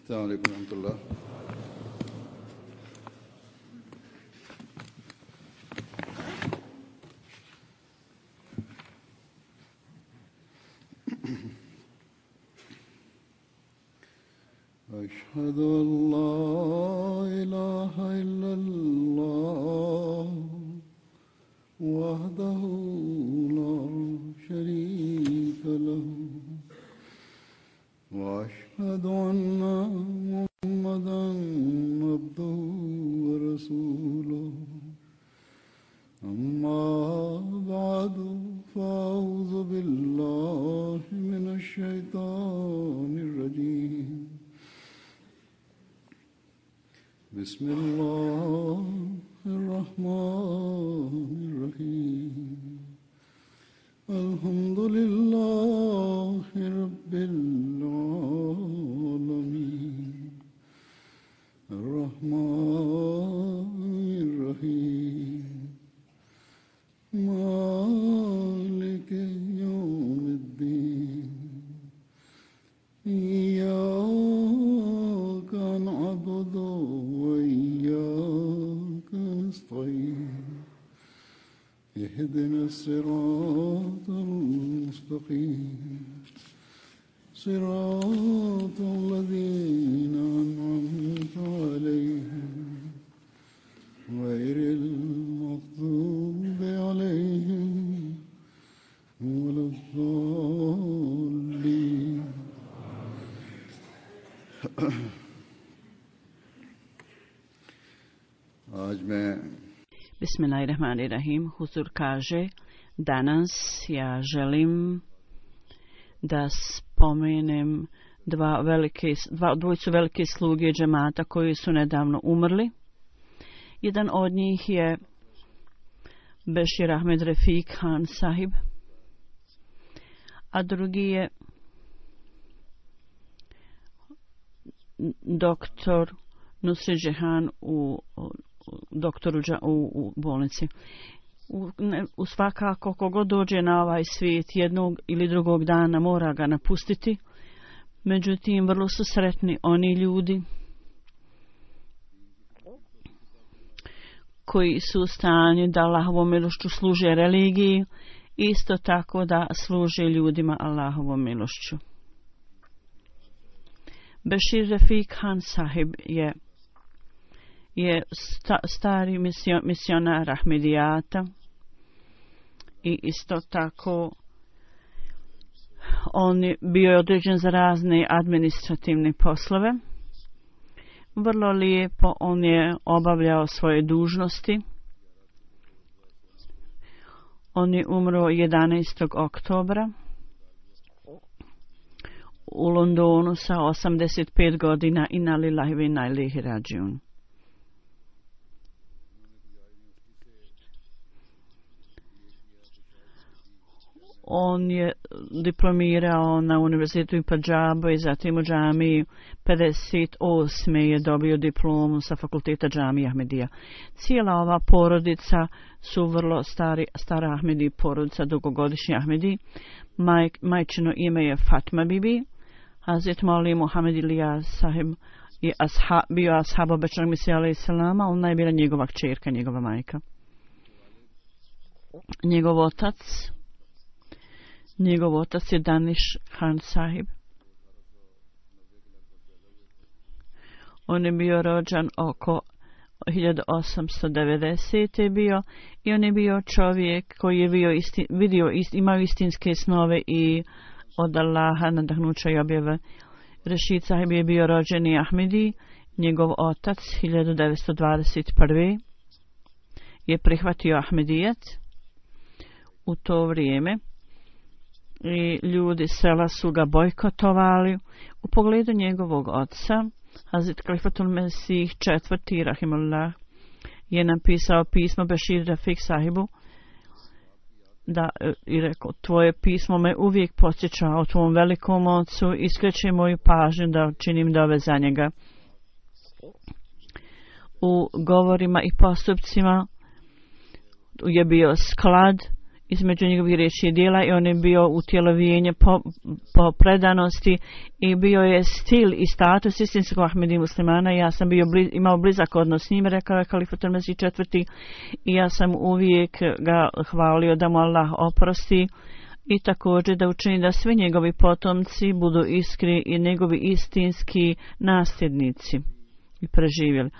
السلام عليكم ورحمة الله. أشهد أن لا إله إلا الله وحده لا شريك له وأشهد أن محمدا عبده ورسوله أما بعد فأعوذ بالله من الشيطان الرجيم بسم الله الرحمن الرحيم الحمد لله رب العالمين الرحمن الرحيم مالك يوم الدين إياك نعبد وإياك نستعين اهدنا الصراط المستقيم صراط الذين أنعمت عليهم غير المغضوب عليهم ولا الضالين. आज मैं Bismillahirrahmanirrahim. Huzur kaže, danas ja želim da spomenem dvojicu velike sluge džemata koji su nedavno umrli. Jedan od njih je Bešir Ahmed Refik Khan sahib, a drugi je doktor Nusret Džehan u bolnici. U svakako kogo dođe na ovaj svijet jednog ili drugog dana mora ga napustiti. Međutim, vrlo su sretni oni ljudi koji su u stanju da Allahovom milošću služe religiji, isto tako da služe ljudima Allahovom milošću. Bešir Refik Khan sahib je stari misionar Ahmedijata i isto tako on je bio određen za razne administrativne poslove. Vrlo lijepo on je obavljao svoje dužnosti. On je umro 11. oktobra u Londonu sa 85 godina. Inna lillahi wa inna ilaihi rađiun. On je diplomirao na univerzitetu u Padžabu i zatim u džamiji 58. je dobio diplomu sa fakulteta džamije Ahmedija. Cijela ova porodica su vrlo stara Ahmedi, porodica dugogodišnji Ahmedi. Majčino ime je Fatma Bibi. Hazret Mauli Muhammed Ilija sahib je bio ashab obećanog Mesija alejhi selama, ona je bila njegova kćerka, njegova majka. Njegov otac je Danish Khan sahib. On je bio rođen oko 1890. je bio i on je bio čovjek koji je imao istinske snove i od Allaha nadahnuća i objave. Rešid sahib je bio rođeni Ahmedi. Njegov otac 1921. je prihvatio Ahmedijet. U to vrijeme i ljudi sela su ga bojkotovali. U pogledu njegovog oca, Hazret Khalifatul Mesih IV. Rahimullah je napisao pismo Bešir Refik sahibu i rekao, tvoje pismo me uvijek podsjeća o tvom velikom ocu i skreće moju pažnju da činim dove za njega. U govorima i postupcima je bio sklad između njegovih riječi i djela i on je bio utjelovljenje po predanosti i bio je stil i status istinskog Ahmedi muslimana. Ja sam imao blizak odnos s njim, rekao je Kalifatul Mesih IV. I ja sam uvijek ga hvalio da mu Allah oprosti i također da učini da svi njegovi potomci budu iskri i njegovi istinski nasljednici i preživjeli.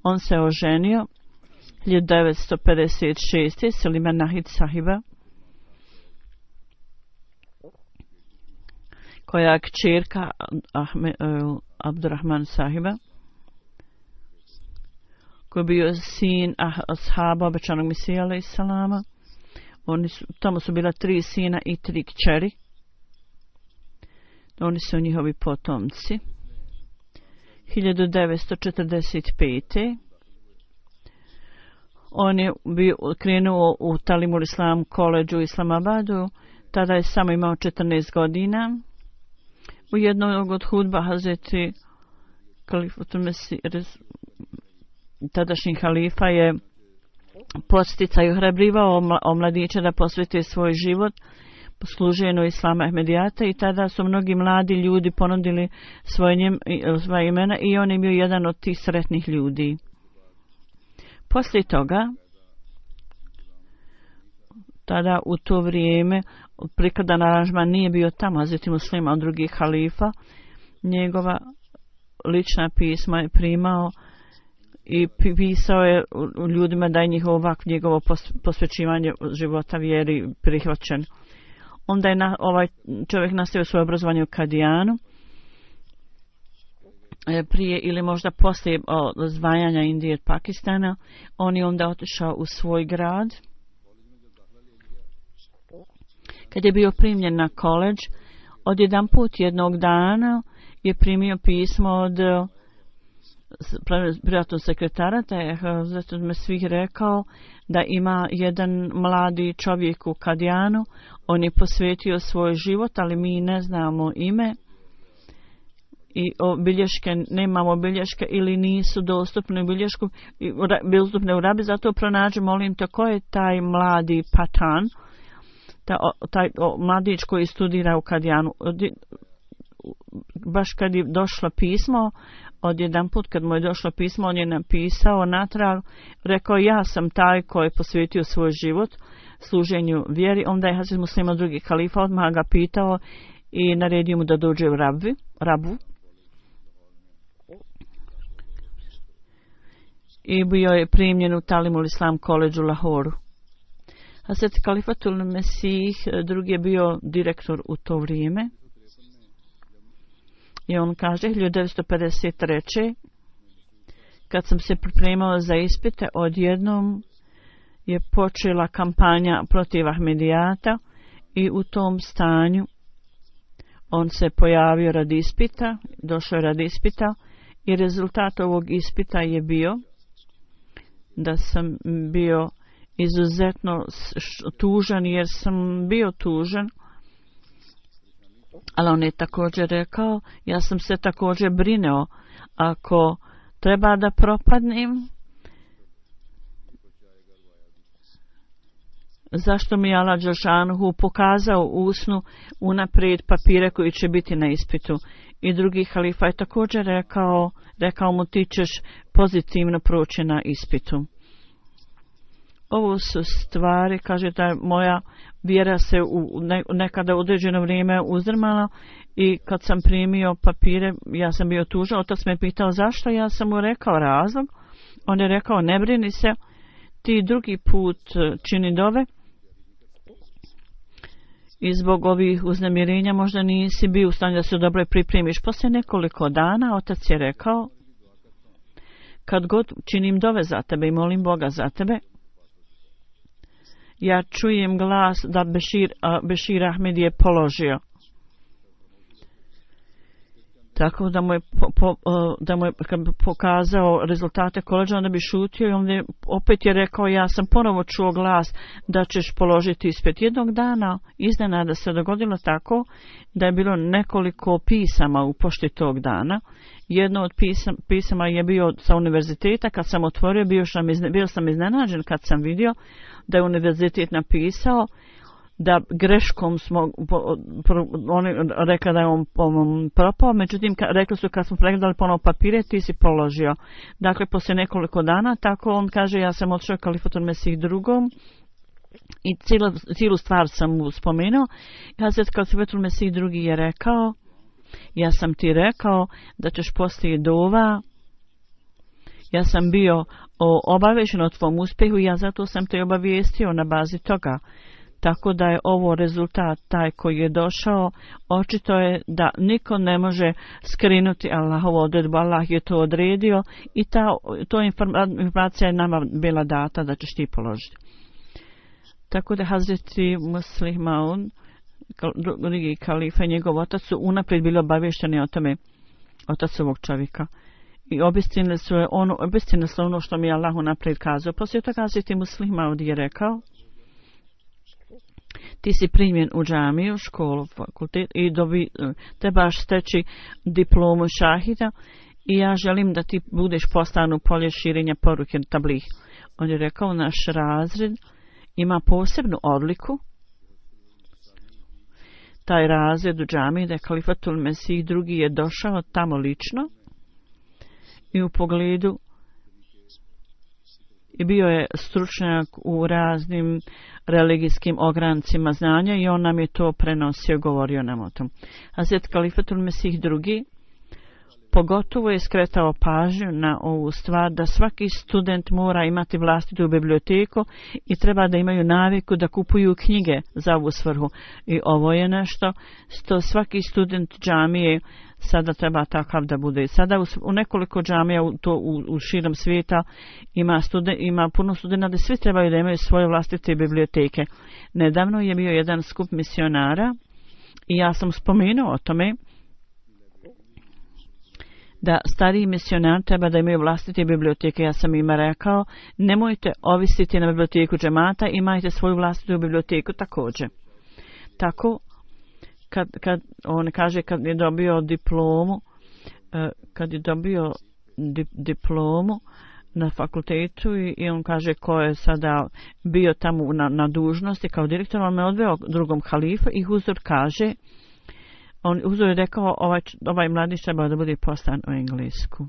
On se oženio 1956. Selima Nahid sahiba, koja je kćerka Abdurrahman sahiba, koji je bio sin ashaba obećanog Mesija alejhi selama. Tamo su bila 3 sina i 3 kćeri. Oni su njihovi potomci. 1945. On je krenuo u Talimul Islam koledžu u Islamabadu. Tada je samo imao 14 godina. U jednog od hudba Hazreti Kalifatul Mesih, tadašnji halifa, je podsticaj ohrabrivao mladiće da posvete svoj život posluženju Islama Ahmedijata i tada su mnogi mladi ljudi ponudili svoje imena i on je bio jedan od tih sretnih ljudi. Poslije toga, tada u to vrijeme prikladan aranžman nije bio tamo, Hazreti Muslima od drugih halifa, njegova lična pisma je primao i pisao je ljudima da je njegovo posvećivanje života vjeri prihvaćen. Onda je ovaj čovjek nastavio svoje obrazovanje u Kadijanu. Prije ili možda poslije zvajanja Indije od Pakistana, on je onda otišao u svoj grad. Kad je bio primljen na koledž, odjedanput jednog dana je primio pismo od privatnog sekretara, da je zato me svih rekao da ima jedan mladi čovjek u Kadijanu. On je posvetio svoj život, ali mi ne znamo ime i bilješke, nemamo bilješke ili nisu dostupne u rabi, zato pronađi, molim te, ko je taj mladi Patan, taj mladić koji studira u Kadijanu. Baš kad je došlo pismo, odjedanput kad mu je došlo pismo, on je napisao natrag, rekao ja sam taj koji je posvetio svoj život služenju vjeri. Onda je Hazret Muslima drugi halifa odmah ga pitao i naredio mu da dođe u Rabu. I bio je primljen u Talimul Islam koledžu u Lahoru. Hazret Kalifatul Mesih drugi je bio direktor u to vrijeme. I on kaže 1953. kad sam se pripremao za ispite, odjednom je počela kampanja protiv Ahmedijata i u tom stanju on se pojavio radi ispita, došao je radi ispita i rezultat ovog ispita je bio da sam bio izuzetno tužan, jer sam bio tužan. Ali on je također rekao, ja sam se također brineo, ako treba da propadnem, zašto mi je Allah Đelšanuhu pokazao u snu unaprijed papire koji će biti na ispitu. I drugi halifa je također rekao mu ti ćeš pozitivno proći na ispitu. Ovo su stvari, kaže da moja vjera se nekada u određeno vrijeme uzdrmala i kad sam primio papire, ja sam bio tužan. Otac me pitao zašto, ja sam mu rekao razlog. On je rekao ne brini se, ti drugi put čini dove i zbog ovih uznemirenja možda nisi bio u stanju da se dobro pripremiš. Poslije nekoliko dana otac je rekao kad god činim dove za tebe i molim Boga za tebe, ja čujem glas da Bešir Ahmed je položio. Tako da mu je, kad bi pokazao rezultate koledža, onda bi šutio i onda opet je rekao ja sam ponovo čuo glas da ćeš položiti ispit. Jednog dana iznenada se dogodilo tako da je bilo nekoliko pisama u pošti tog dana. Jedno od pisama je bio sa univerziteta. Kad sam otvorio, bio sam iznenađen kad sam vidio da je univerzitet napisao da greškom smo oni rekli da je on propao, međutim rekli su kad smo pregledali ponovo papire ti si položio. Dakle poslije nekoliko dana tako on kaže ja sam otišao Kalifatul Mesih drugom i cijelu stvar sam mu spomenuo. Hazret Kalifatul Mesih drugi je rekao ja sam ti rekao da ćeš poslije dova, ja sam bio obavješten o tvom uspjehu i ja zato sam te obavijestio na bazi toga. Tako da je ovo rezultat taj koji je došao, očito je da niko ne može skrinuti Allahovu odredbu, Allah je to odredio i to informacija je nama bila data da ćeš ti položiti. Tako da Hazreti Muslih Maud, drugi kalifa i njegov otac su unaprijed bili obavješteni o tome, otac ovog čovjeka. I obistinili su ono što mi je Allah unaprijed kazao. Poslije toga Hazreti Muslih Maud je rekao ti si primjen u džamiju, školu, fakultet i trebaš steći diplomu šahida i ja želim da ti budeš poslan u polje širenja poruke tablih. On je rekao naš razred ima posebnu odliku. Taj razred u džamiji da je Kalifatul Mesih drugi je došao tamo lično i u pogledu i bio je stručnjak u raznim religijskim ograncima znanja i on nam je to prenosio, govorio nam o tom. Hazret Kalifatul Mesih drugi pogotovo je skretao pažnju na ovu stvar da svaki student mora imati vlastitu biblioteku i treba da imaju naviku da kupuju knjige za ovu svrhu. I ovo je nešto što svaki student džamije sada treba takav da bude. Sada u nekoliko džamija u širom svijeta ima puno studenta da svi trebaju da imaju svoje vlastite biblioteke. Nedavno je bio jedan skup misionara i ja sam spomenuo o tome da stariji misionari treba da imaju vlastite biblioteke. Ja sam ima rekao, nemojte ovisiti na biblioteku džemata, imajte svoju vlastitu biblioteku također. Tako, kad on kaže kad je dobio diplomu na fakultetu i on kaže ko je sada bio tamo na dužnosti kao direktor, on me odveo drugom halifu i Huzur kaže, Huzur je rekao ovaj mladić treba da bude poslan u Englesku.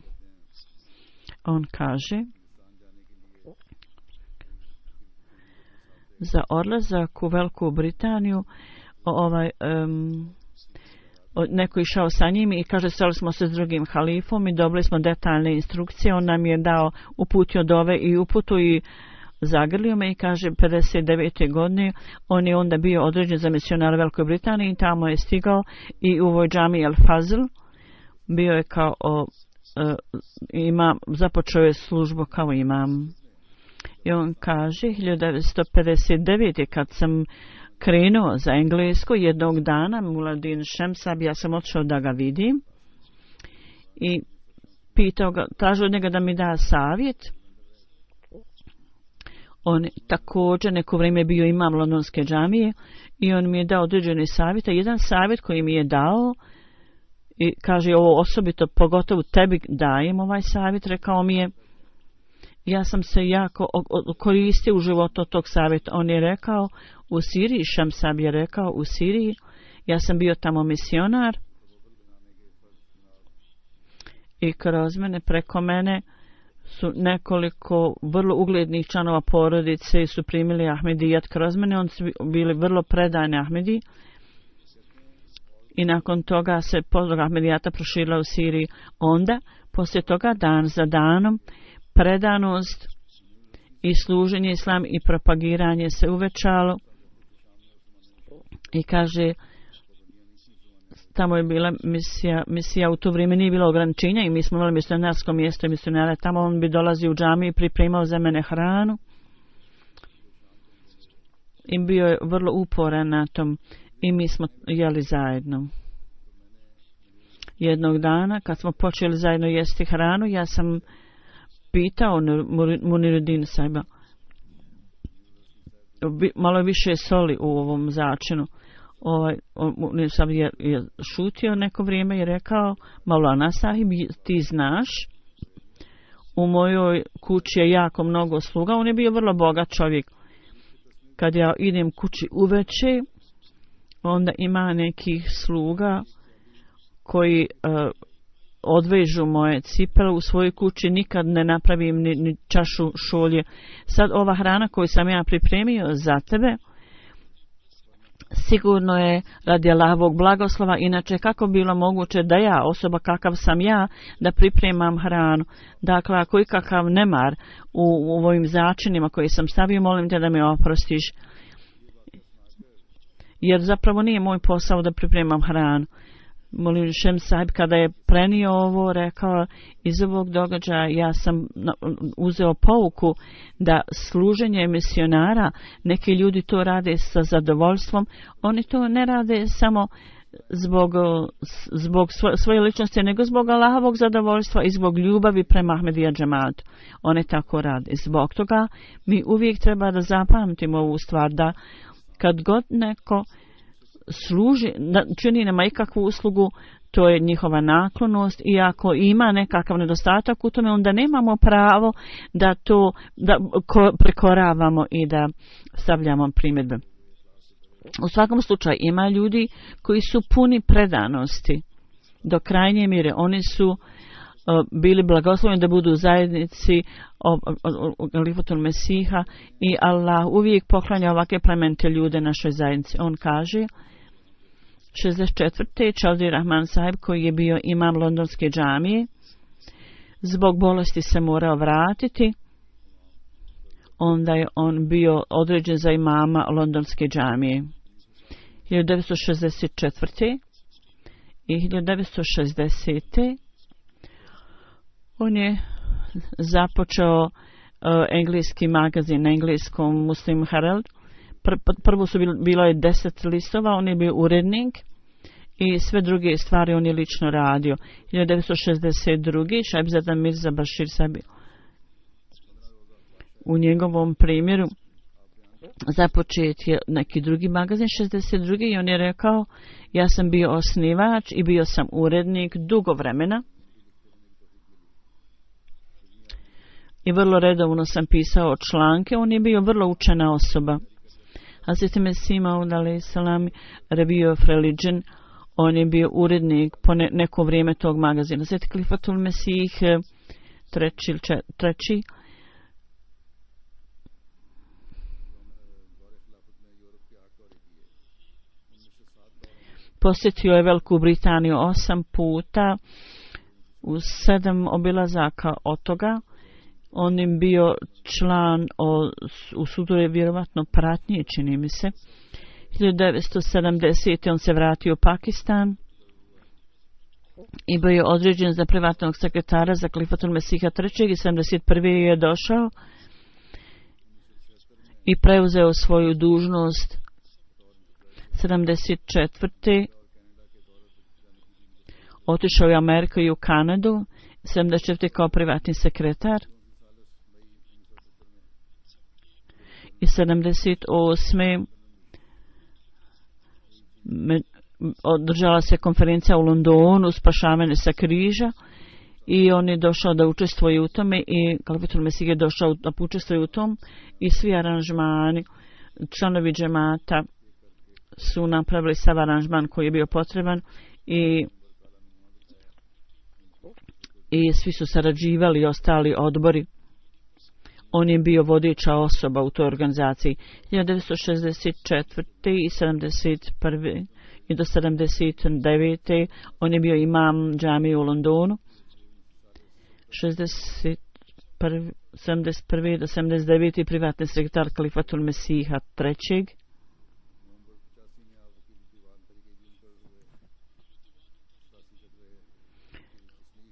On kaže za odlazak u Veliku Britaniju neko išao sa njim i kaže sreli smo se s drugim halifom i dobili smo detaljne instrukcije. On nam je uputio dove i uputu i zagrlio me i kaže 59. godine on je onda bio određen za misionara u Velikoj Britaniji i tamo je stigao i u ovoj džami El Fazl bio je kao imam, započeo je službu kao imam. I on kaže 1959. kad sam krenuo za Englesku jednog dana Muladin Šemsab, ja sam otišao da ga vidim i pitao ga, tražio od njega da mi da savjet. On također neko vrijeme bio imam londonske džamije i on mi je dao određene savjete. Jedan savjet koji mi je dao i kaže ovo osobito pogotovo tebi dajem ovaj savjet, rekao mi je ja sam se jako koristio u životu tog savjeta. On je rekao u Siriji, Šamsab je rekao u Siriji, ja sam bio tamo misionar i kroz mene, preko mene su nekoliko vrlo uglednih članova porodice su primili Ahmedijat kroz mene, oni su bili vrlo predani Ahmedi i nakon toga se podlog Ahmedijata proširila u Siriji. Onda, poslije toga dan za danom, predanost i služenje islam i propagiranje se uvećalo i kaže tamo je bila misija u to vrijeme nije bilo ograničenja i mi smo imali misionarsko mjesto i misionare tamo, on bi dolazio u džamiju i pripremao za mene hranu i bio je vrlo uporan na tom i mi smo jeli zajedno. Jednog dana kad smo počeli zajedno jesti hranu, ja sam pitao Muniruddin Saiba malo više soli u ovom začinu. Sam je šutio neko vrijeme i rekao Maulana Sahib, ti znaš u mojoj kući je jako mnogo sluga. On je bio vrlo bogat čovjek kad ja idem kući uveče, onda ima nekih sluga koji odvežu moje cipele u svojoj kući, nikad ne napravim ni čašu šolje. Sad ova hrana koju sam ja pripremio za tebe, sigurno je radi Allahovog blagoslova, inače kako bilo moguće da ja, osoba kakav sam ja, da pripremam hranu. Dakle, ako je kakav nemar u ovim začinima koji sam stavio, molim te da me oprostiš. Jer zapravo nije moj posao da pripremam hranu. Molim Šem Sahib kada je prenio ovo, rekao iz ovog događaja ja sam uzeo pouku da služenje misionara, neki ljudi to rade sa zadovoljstvom, oni to ne rade samo zbog svoje ličnosti, nego zbog Allahovog zadovoljstva i zbog ljubavi prema Ahmedija džematu. Oni tako rade. Zbog toga mi uvijek treba da zapamtimo ovu stvar, da kad god neko služi, čini nama ikakvu uslugu, to je njihova naklonost i ako ima nekakav nedostatak u tome, onda nemamo pravo da to prekoravamo i da stavljamo primjedbe. U svakom slučaju ima ljudi koji su puni predanosti do krajnje mjere. Oni su bili blagosloveni da budu u zajednici Galifatul Mesiha i Allah uvijek poklanja ovakve plemente ljude našoj zajednici. On kaže 64. Čaudi Rahman Sahib, koji je bio imam londonske džamije, zbog bolesti se morao vratiti. Onda je on bio određen za imama londonske džamije. 1964. i 1960. on je započeo engleski magazin na engleskom Muslim Herald. Prvo su bilo je 10 listova, on je bio urednik i sve druge stvari on je lično radio. 1962. Šajbzada Mirza Bashir Sabi, u njegovom primjeru započet je neki drugi magazin 62. i on je rekao ja sam bio osnivač i bio sam urednik dugo vremena i vrlo redovno sam pisao članke. On je bio vrlo učena osoba. Hazreti Mesih Maud alejhi selam Review of Religion, on je bio urednik po neko vrijeme tog magazina. Hazreti Khalifatul Mesih treći posjetio je Veliku Britaniju 8 puta u 7 obilazaka od toga. On je bio član u sudove vjerovatno pratnje, čini mi se. 1970. on se vratio u Pakistan i bio je određen za privatnog sekretara za Khalifatul Mesiha III. I 71. je došao i preuzeo svoju dužnost 74. Otišao je u Ameriku i u Kanadu, 74. kao privatni sekretar. I 78. održala se konferencija u Londonu, spašavanje sa križa, i on je došao da učestvuje u tome i Khalifatul Mesih je došao da učestvuje u tom i svi aranžmani, članovi džemata su napravili sav aranžman koji je bio potreban i svi su sarađivali i ostali odbori. On je bio vodeća osoba u toj organizaciji. 1964. i 71. i do 79. on je bio imam džamije u Londonu. 71. do 79. privatni sekretar Khalifatul Mesiha III.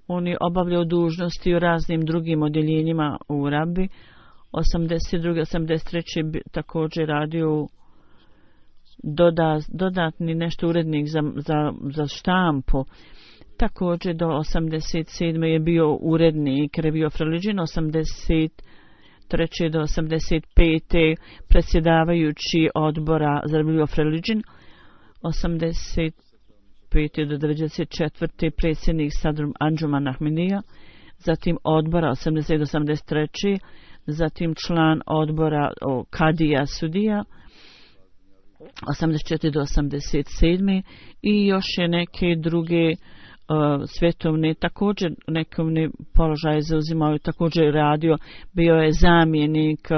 On je obavljao dužnosti u raznim drugim odjeljenjima u Rabi. 82. 83. također radio dodatni nešto urednik za štampu. Također do 87. je bio urednik Review of Religion, 83. do 85. predsjedavajući odbora za Review of Religion, 85. do 94. predsjednik Sadrum Anjuman Ahmedija, zatim odbora 80. do 83. zatim član odbora Kadija Sudija 84 do 87 i još je neke druge svjetovne također nekovne položaje zauzimao, također radio, bio je zamjenik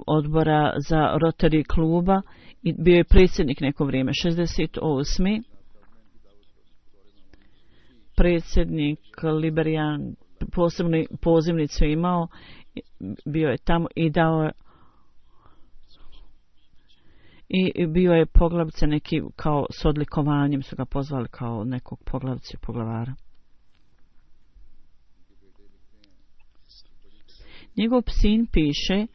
odbora za Rotary kluba i bio je predsjednik neko vrijeme. 68. predsjednik Liberijan, posebnu pozivnicu imao, bio je tamo i dao je i bio je poglavica neki kao s odlikovanjem, su ga pozvali kao nekog poglavice, poglavara. Njegov sin piše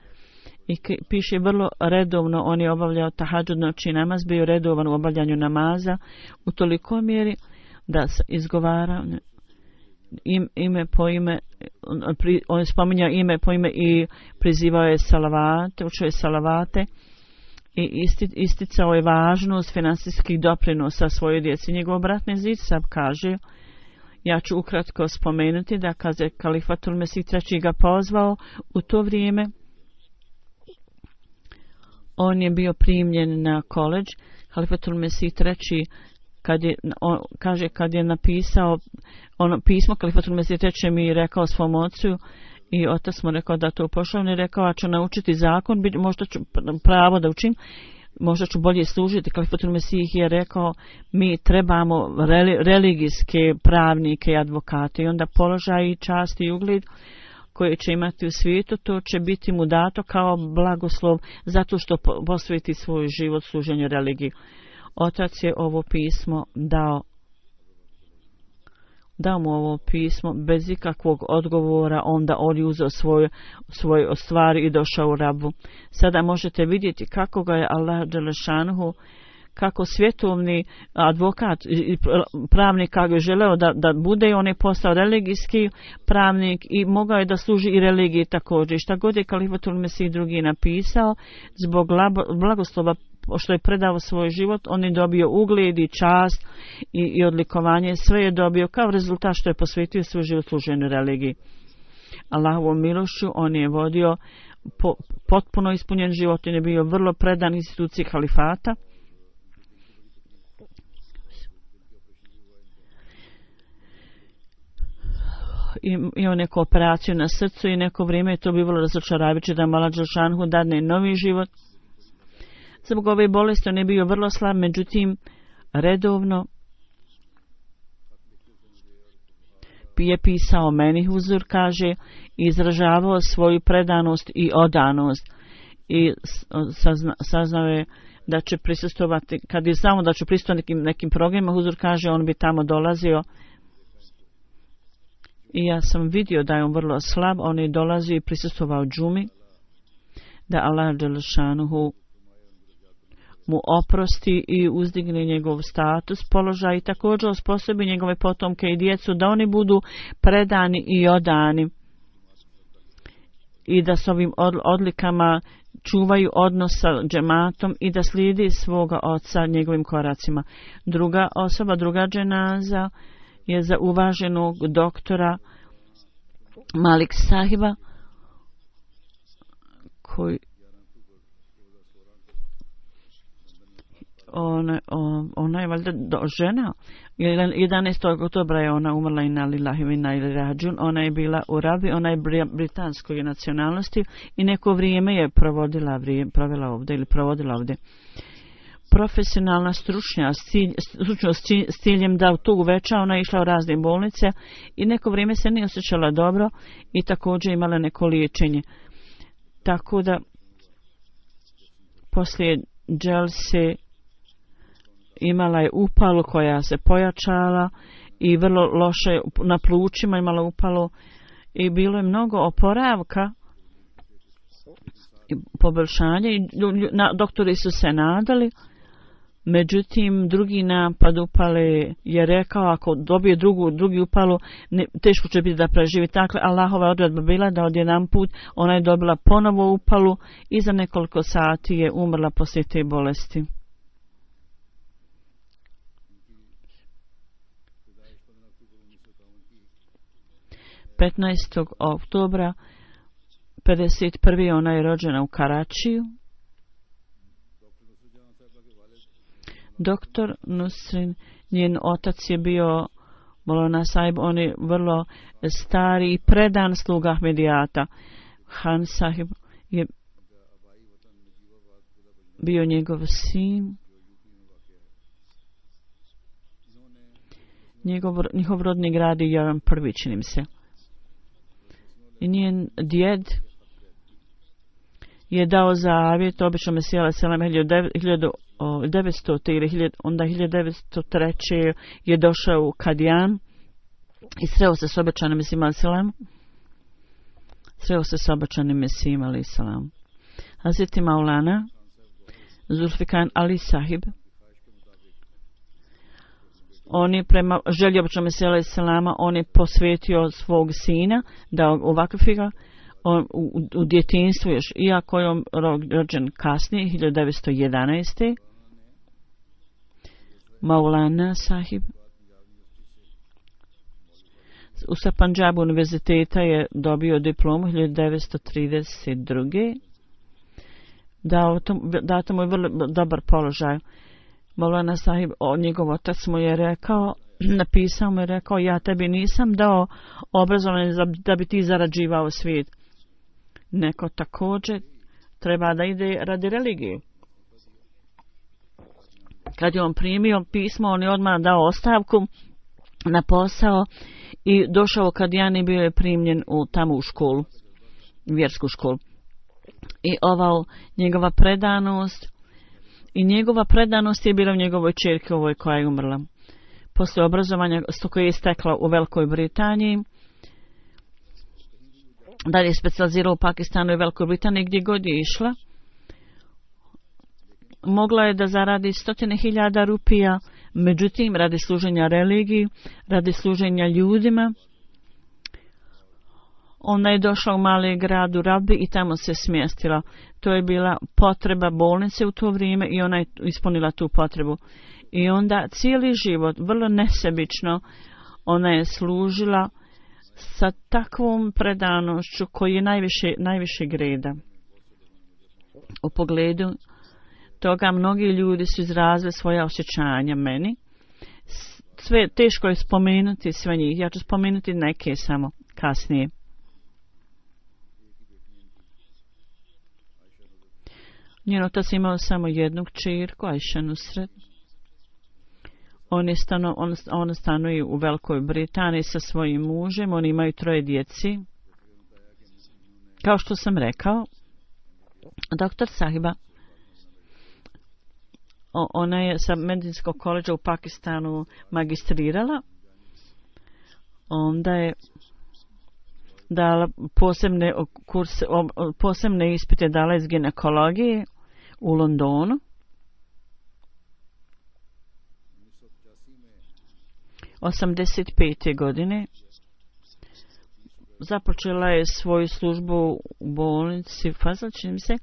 i piše vrlo redovno, on je obavljao tahadžud noći namaz, bio redovan u obavljanju namaza u toliko mjeri da se izgovara ime po ime, on je spominjao ime po ime i prizivao je salavate, učio je salavate i isticao je važnost finansijskih doprinosa svojoj djeci. Njegov brat Nezir Sab kaže, ja ću ukratko spomenuti da kad je Kalifatul Mesih III ga pozvao u to vrijeme, on je bio primljen na koledž. Kalifatul Mesih III kad je napisao ono pismo, Kalifatul Mesih III mi rekao svom ocu i otac mu rekao da to pošao, on je rekao, a ću naučiti zakon, možda ću pravo da učim, možda ću bolje služiti. Kalifatul Mesih je rekao, mi trebamo religijske pravnike i advokate i onda položaj i čast i ugled koje će imati u svijetu, to će biti mu dato kao blagoslov zato što posveti svoj život služenju religiji. Otac je ovo pismo dao mu ovo pismo bez ikakvog odgovora, onda on je uzeo svoje stvari i došao u Rabu. Sada možete vidjeti kako ga je Allah dželešanuhu, kako svjetovni advokat i pravnik kako je želeo da bude, on je postao religijski pravnik i mogao je da služi i religiji također. Šta god je Kalifatul Mesih II napisao, zbog blagoslova što je predao svoj život, on je dobio ugled i čast i odlikovanje, sve je dobio kao rezultat što je posvetio svoj život služenju religiji. Allahovom milošću on je vodio potpuno ispunjen život, on je bio vrlo predan instituciji halifata. Imao neku operaciju na srcu i neko vrijeme je to bivalo razočaravajuće da Mala Đelšanhu dadne novi život. Zbog ove bolesti on je bio vrlo slab, međutim redovno je pisao meni huzur, kaže, izražavao svoju predanost i odanost i saznao je da će prisustvovati, kad je znao da će prisustvovati nekim programima, huzur kaže, on bi tamo dolazio i ja sam vidio da je on vrlo slab, on je dolazio i prisustvovao džumi, da Allah dželešanuhu mu oprosti i uzdigne njegov status, položaj i također osposobi njegove potomke i djecu da oni budu predani i odani i da s ovim odlikama čuvaju odnos sa džematom i da slijedi svoga oca njegovim koracima. Druga osoba, druga dženaza je za uvaženog doktora Malik Sahiba koji ona je valjda žena. 11. oktobra je ona umrla, inna lillahi wa inna ilaihi rađun. Ona je bila u Rabi, ona je britanskoj nacionalnosti i neko vrijeme je provodila ovdje. Profesionalna stručnost s ciljem da to uveća, ona je išla u razne bolnice i neko vrijeme se nije osjećala dobro i također imala neko liječenje. Tako da poslije dželse imala je upalu koja se pojačala i vrlo loše na plućima imala upalu i bilo je mnogo oporavka i poboljšanja i doktori su se nadali. Međutim, drugi napad upale je rekao, ako dobije drugi upalu, teško će biti da preživi. Dakle, Allahova odredba bila da odjedan put ona je dobila ponovo upalu i za nekoliko sati je umrla poslije te bolesti. ...15. oktobra 51. ona je rođena u Karačiju. Doktor Nusrin, njen otac je bio Molana Sahib, on je vrlo stari i predan sluga Ahmedijata. Han Sahib je bio njegov sin. Njihov rodni grad je Javan prvi, činim se. I njen djed je dao zavjet, obično Mesija selam 1900 ili onda 1903. je došao u Kadijan i sreo se s obećanim Mesijom selam. Sreo se s obećanim Mesijom selam. Hazreti Maulana Zulfikan Ali Sahib, on je prema želji običnog Mesija selama, on je posvetio svog sina da ovakvi ga u djetinjstvu još, iako je on rođen kasnije 1911. Maulana Sahib u Punjabu univerziteta je dobio diplomu 1932. Dato mu je vrlo dobar položaj. Maulana Sahib, njegov otac mu je rekao, napisao mu je rekao, ja tebi nisam dao obrazovanje da bi ti zarađivao svijet. Neko također treba da ide radi religije. Kad je on primio pismo, on je odmah dao ostavku na posao i došao kad Jani bio je primljen tamo u školu, vjersku školu. I njegova predanost je bila u njegovoj čerki ovoj koja je umrla. Poslije obrazovanja koje je stekla u Velikoj Britaniji, dalje je specijalizirala u Pakistanu i Velikoj Britaniji, gdje god je išla, mogla je da zaradi 100.000 rupija, međutim radi služenja religiji, radi služenja ljudima. Ona je došla u mali grad u Rabi i tamo se smjestila. To je bila potreba bolnice u to vrijeme i ona je ispunila tu potrebu. I onda cijeli život, vrlo nesebično, ona je služila sa takvom predanošću koji je najviše greda. U pogledu toga mnogi ljudi su izrazili svoja osjećanja meni. Sve teško je spomenuti sve njih. Ja ću spomenuti neke samo kasnije. Njen otac imao samo jednu kćerku, Aisha Nusret. On stanuje u Velikoj Britaniji sa svojim mužem. Oni imaju 3 djeci. Kao što sam rekao, doktor Sahiba, ona je sa medicinskog koledža u Pakistanu magistrirala. Onda je dala posebne ispite dala iz ginekologije u Londonu. '85. godine započela je svoju službu u bolnici Fazal, čini mi se,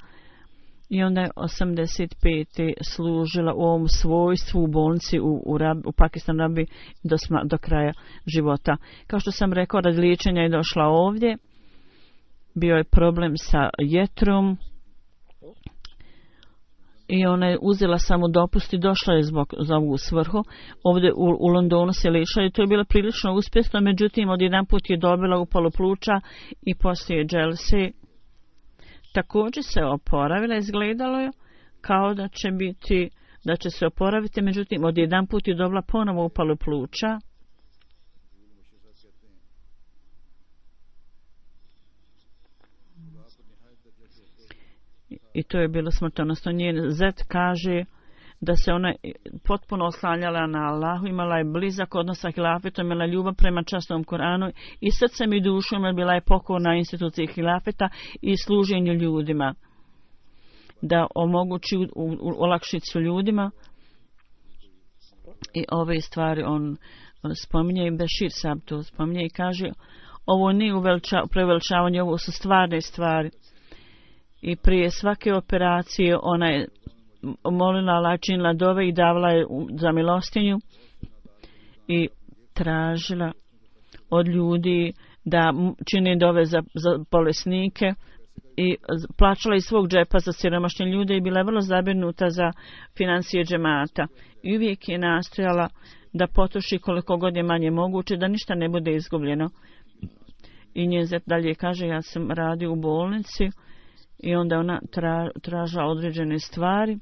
i onda je 85. služila u ovom svojstvu u bolnici u Pakistanu Rabi do kraja života. Kao što sam rekao, radi liječenja je došla ovdje. Bio je problem sa jetrom i ona je uzela samo dopust i došla je za ovu svrhu. Ovdje u Londonu se liječila i to je bilo prilično uspješno, međutim odjedanput je dobila upalu pluća i poslije dželse također se oporavila, izgledalo je kao da će se oporaviti, međutim odjedanput je dobila ponovo upalu pluća. I to je bilo smrtonosno. Njen zet kaže da se ona potpuno oslanjala na Allahu, imala je blizak odnos sa hilafetom, imala ljubav prema časnom Koranu i srcem i dušom bila je pokorna instituciji hilafeta i služenju ljudima. Da omogući olakšicu ljudima. I ove stvari on spominje i Bešir Sab to spominje i kaže ovo nije preveličavanje, ovo su stvarne stvari. I prije svake operacije ona je molila Allah, činila dove i davala je za milostinju i tražila od ljudi da čini dove za bolesnike i plaćala iz svog džepa za siromašne ljude i bila je vrlo zabrinuta za financije džemata. I uvijek je nastojala da potroši koliko god je manje moguće, da ništa ne bude izgubljeno. I njen zet dalje kaže, ja sam radio u bolnici i onda ona tražila određene stvari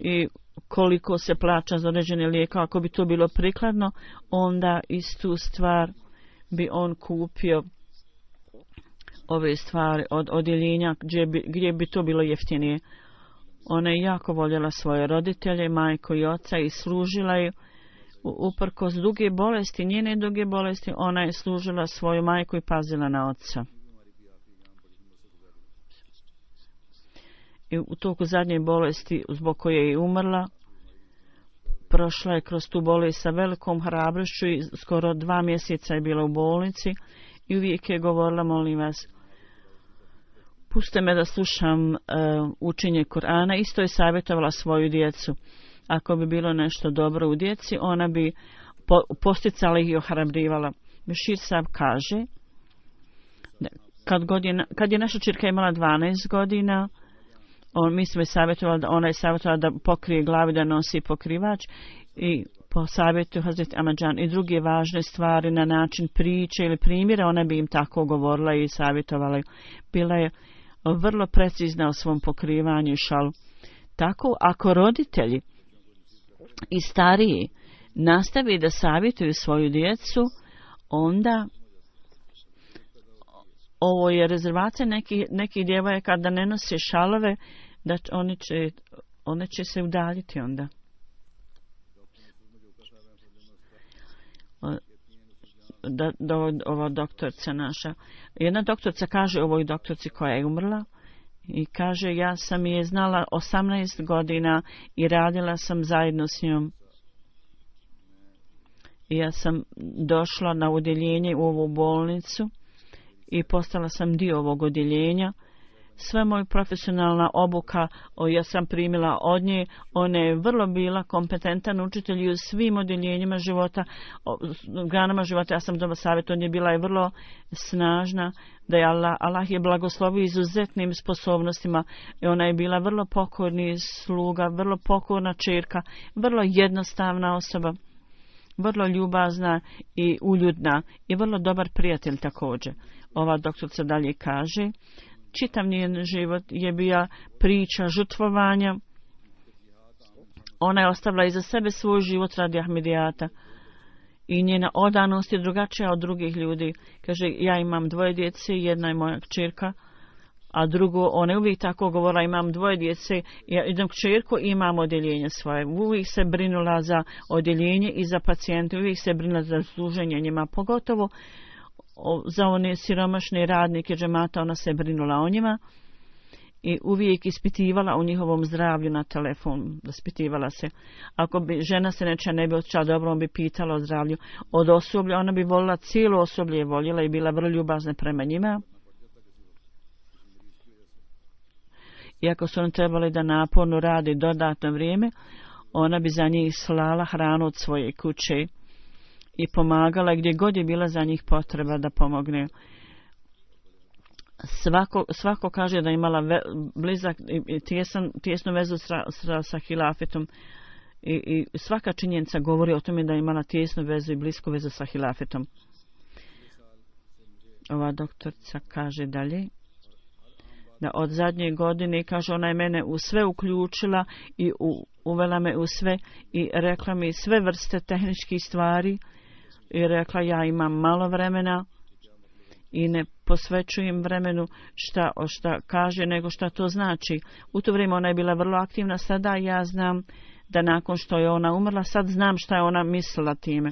i koliko se plaća za određene lijeka, ako bi to bilo prikladno, onda istu stvar bi on kupio ove stvari od odjeljenja gdje bi to bilo jeftinije. Ona je jako voljela svoje roditelje, majku i oca i služila je uprkos duge bolesti, njene duge bolesti, ona je služila svoju majku i pazila na oca. I u toku zadnje bolesti zbog koje je umrla, prošla je kroz tu bolest sa velikom hrabrošću i skoro 2 mjeseca je bila u bolnici i uvijek je govorila, molim vas, puste me da slušam učenje Kur'ana. Isto je savjetovala svoju djecu. Ako bi bilo nešto dobro u djeci, ona bi posticala ih i ohrabrivala. Bešir Sab kaže, kad je naša čirka imala 12 godina, mi smo je savjetovali da ona je savjetovala da pokrije glavi, da nosi pokrivač i po savjetu Hazret Ahmadžan i druge važne stvari na način priče ili primjera, ona bi im tako govorila i savjetovala. Bila je vrlo precizna u svom pokrivanju i šalu. Tako, ako roditelji i stariji nastavi da savjetuju svoju djecu, onda ovo je rezervacija nekih djevojaka da ne nose šalove, da one će se udaljiti onda. Ova doktorica naša. Jedna doktorica kaže ovoj doktorici koja je umrla i kaže, ja sam je znala 18 godina i radila sam zajedno s njom. I ja sam došla na odjeljenje u ovu bolnicu i postala sam dio ovog odjeljenja. Sva moja profesionalna obuka, ja sam primila od nje, ona je vrlo bila kompetentan učitelj u svim odjeljenjima života, granama života. Ja sam dobar savjet od nje, bila je vrlo snažna, da je Allah je blagoslovio izuzetnim sposobnostima i ona je bila vrlo pokorni sluga, vrlo pokorna čerka, vrlo jednostavna osoba, vrlo ljubazna i uljudna i vrlo dobar prijatelj također. Ova doktorica dalje kaže, čitav njen život je bila priča žrtvovanja. Ona je ostavila iza sebe svoj život radi Ahmedijata i njena odanost je drugačija od drugih ljudi. Kaže, ja imam 2 djece, jedna je moja kćerka, a drugo, ona je uvijek tako govorila, imam 2 djece, ja idem kćerku i imam odjeljenje svoje. Uvijek se brinula za odjeljenje i za pacijente, uvijek se brinula za služenje njima, pogotovo za one siromašne radnike džemata, ona se brinula o njima i uvijek ispitivala o njihovom zdravlju na telefon, ispitivala se. Ako bi žena se nečija ne bi osjećala dobro, on bi pitala o zdravlju. Od osoblja, ona bi volila, cijelo osoblje je voljela i bila vrlo ljubazna prema njima. Iako su oni trebali da naporno radi dodatno vrijeme, ona bi za njih slala hranu od svoje kuće i pomagala gdje god je bila za njih potreba da pomogne. Svako kaže da je imala blizak i tijesnu vezu sa hilafetom i svaka činjenica govori o tome da je imala tijesnu vezu i blisku vezu sa hilafetom. Ova doktorica kaže dalje da od zadnje godine, kaže, ona je mene u sve uključila i uvela me u sve i rekla mi sve vrste tehničkih stvari i rekla, ja imam malo vremena i ne posvećujem vremenu šta kaže, nego šta to znači. U to vrijeme ona je bila vrlo aktivna, sada ja znam da nakon što je ona umrla, sad znam šta je ona mislila time.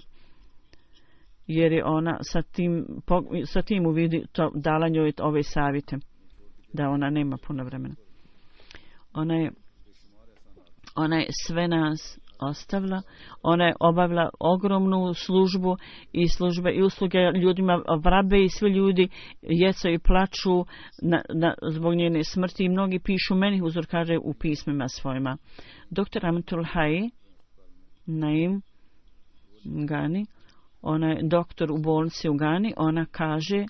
Jer je ona sa tim uvidi to, dala njoj ove savjete, da ona nema puno vremena. Ona je sve nas ostavila, ona je obavila ogromnu službu i usluge ljudima, vrabe i svi ljudi jeca i plaču zbog njene smrti i mnogi pišu meni, uzor kaže u pismima svojima. Dr. Amatul Hai Naim Gani, ona je doktor u bolnici u Gani, ona kaže,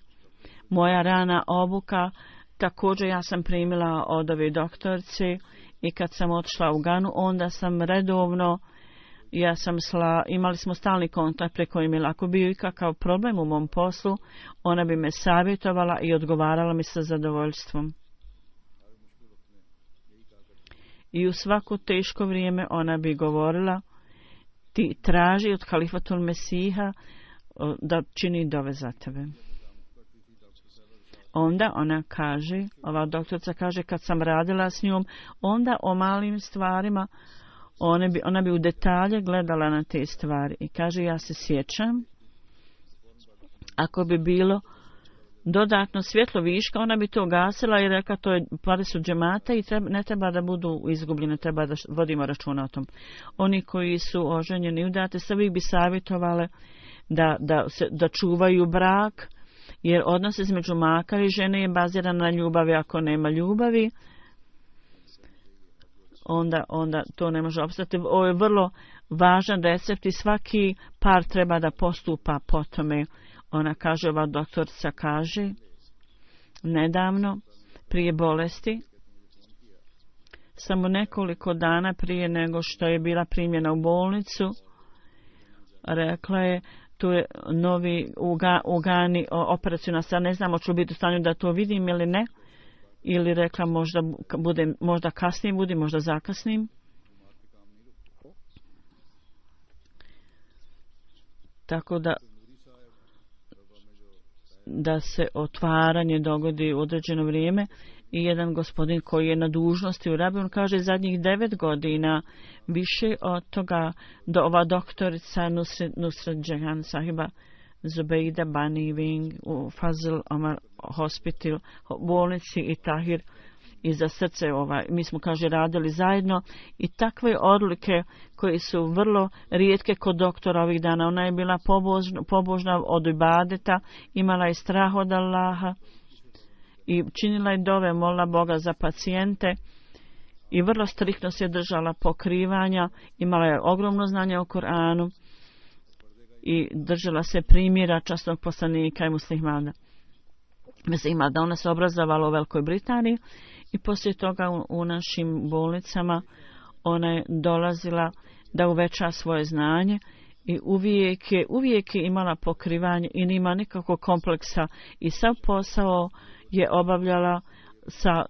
Moja rana obuka, također ja sam primila od ove doktorce i kad sam otišla u Ganu, onda sam redovno, imali smo stalni kontakt preko e-maila. Ako bio i kakav problem u mom poslu, ona bi me savjetovala i odgovarala mi sa zadovoljstvom. I u svako teško vrijeme ona bi govorila, ti traži od Halifatul Mesiha da čini dove za tebe. Onda ona kaže, ova doktorica kaže, kad sam radila s njom, onda o malim stvarima, ona bi u detalje gledala na te stvari. I kaže, ja se sjećam, ako bi bilo dodatno svjetlo viška, ona bi to gasila i rekla, to je pare su džemata i ne treba da budu izgubljene, treba da vodimo računa o tom. Oni koji su oženjeni udate, sve bi savjetovale da čuvaju brak, jer odnos između maka i žene je baziran na ljubavi. Ako nema ljubavi, onda to ne može opstati. Ovo je vrlo važan recept i svaki par treba da postupa po tome. Ona kaže, ova doktorica kaže, nedavno, prije bolesti, samo nekoliko dana prije nego što je bila primljena u bolnicu, rekla je, tu je novi u Gani operacijna sad, ne znam, hoću biti u stanju da to vidim ili ne, ili rekla možda kasnije budi, možda zakasnim. Tako da se otvaranje dogodi u određeno vrijeme i jedan gospodin koji je na dužnosti u Rabi, on kaže zadnjih 9 godina više od toga do ova doktorica Nusrat Jahan sahiba Zubeida Bani Wing u Fazl Omar Hospital bolnici i Tahir i za srce mi smo kaže radili zajedno i takve odlike koje su vrlo rijetke kod doktora ovih dana. Ona je bila pobožna od ibadeta, imala je strah od Allaha i činila je dove, molila Boga za pacijente i vrlo striktno se držala pokrivanja, imala je ogromno znanje o Koranu i držala se primjera časnog poslanika i muslimana. Mislim da ona se obrazovala u Velikoj Britaniji i poslije toga u našim bolnicama ona je dolazila da uveća svoje znanje i uvijek je imala pokrivanje i nima nikakvog kompleksa i sav posao je obavljala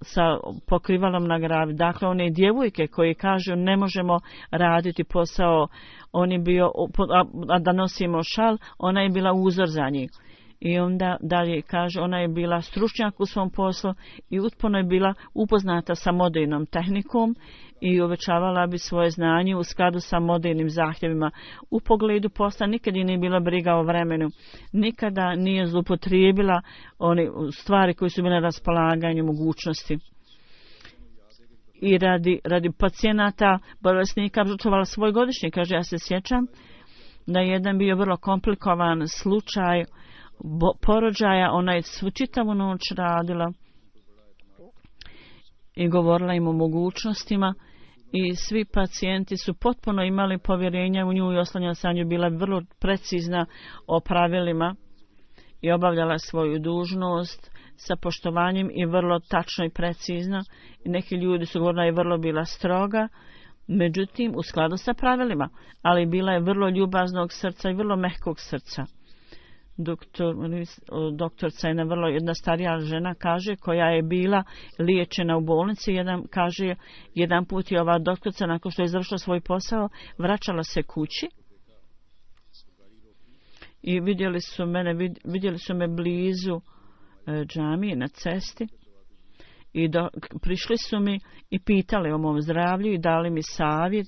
sa pokrivalom na glavi. Dakle, one djevojke koje kažu ne možemo raditi posao, on je bio, a da nosimo šal, ona je bila uzor za njih. I onda dalje kaže, ona je bila stručnjak u svom poslu i utpuno je bila upoznata sa modernom tehnikom i uvećavala bi svoje znanje u skladu sa modernim zahtjevima. U pogledu posla nikad nije bila briga o vremenu, nikada nije zloupotrijebila one stvari koje su bile na raspolaganju mogućnosti. I radi pacijenata, bolesnika, žrtvovala svoj godišnji. Kaže, ja se sjećam da je jedan bio vrlo komplikovan slučaj porođaja, ona je svu čitavu noć radila i govorila im o mogućnostima i svi pacijenti su potpuno imali povjerenja u nju i oslanjala se na nju, bila vrlo precizna o pravilima i obavljala svoju dužnost sa poštovanjem i vrlo tačno i precizno. I neki ljudi su govorili da je vrlo bila stroga, međutim u skladu sa pravilima, ali bila je vrlo ljubaznog srca i vrlo mehkog srca. Doktorca je jedna starija žena, kaže, koja je bila liječena u bolnici. Jedan put je ova doktorca, nakon što je završila svoj posao, vraćala se kući i vidjeli su me blizu džamije na cesti i prišli su mi i pitali o mom zdravlju i dali mi savjet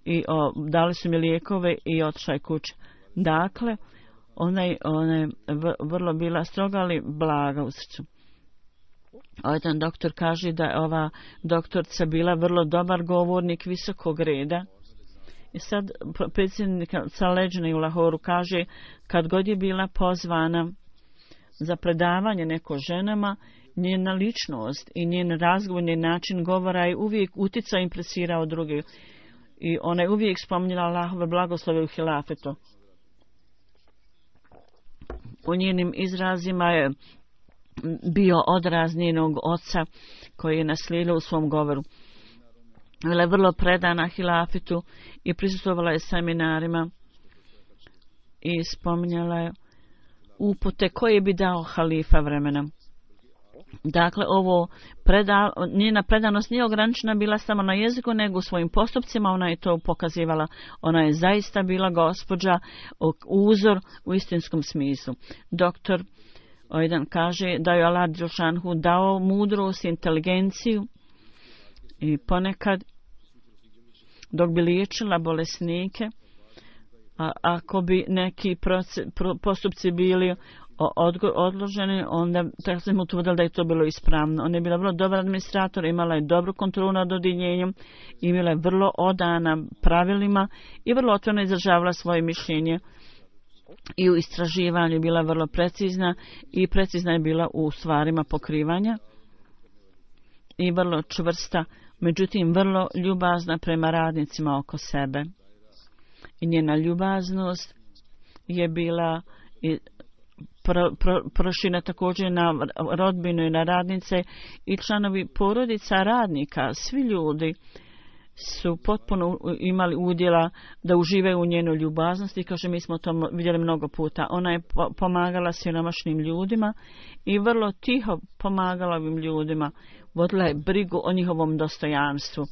i dali su mi lijekove i otišla je kući. Dakle, ona je vrlo bila stroga, ali blaga u srcu. Jedan doktor kaže da je ova doktorca bila vrlo dobar govornik visokog reda. I sad predsjednica Leđne u Lahoru kaže, kad god je bila pozvana za predavanje neko ženama, njena ličnost i njen razgovor, njen način govora je uvijek uticao i impresirao druge. I ona je uvijek spominjala Allahove blagoslove u hilafetu. U njenim izrazima je bio odraz njenog oca koji je naslijedio u svom govoru. Bila je vrlo predana hilafitu i prisustvovala je seminarima i spominjala je upute koje bi dao halifa vremena. Dakle, njena predanost nije ograničena bila samo na jeziku, nego u svojim postupcima ona je to pokazivala. Ona je zaista bila gospođa, uzor u istinskom smislu. Doktor Ojdan kaže da je Allah Đelšanhu dao mudrost, inteligenciju i ponekad dok bi liječila bolesnike, a ako bi neki postupci bili odloženi, onda tako sam utvrdila da je to bilo ispravno. Ona je bila vrlo dobar administrator, imala je dobru kontrolu nad odjeljenjem, imala je vrlo odana pravilima i vrlo otvoreno izražavala svoje mišljenje. I u istraživanju bila vrlo precizna i precizna je bila u stvarima pokrivanja i vrlo čvrsta, međutim vrlo ljubazna prema radnicima oko sebe. I njena ljubaznost je bila proširena također na rodbinu i na radnice i članovi porodica radnika. Svi ljudi su potpuno imali udjela da uživaju u njenoj ljubaznosti. Kaže, mi smo to vidjeli mnogo puta. Ona je pomagala siromašnim ljudima i vrlo tiho pomagala ovim ljudima. Vodila je brigu o njihovom dostojanstvu.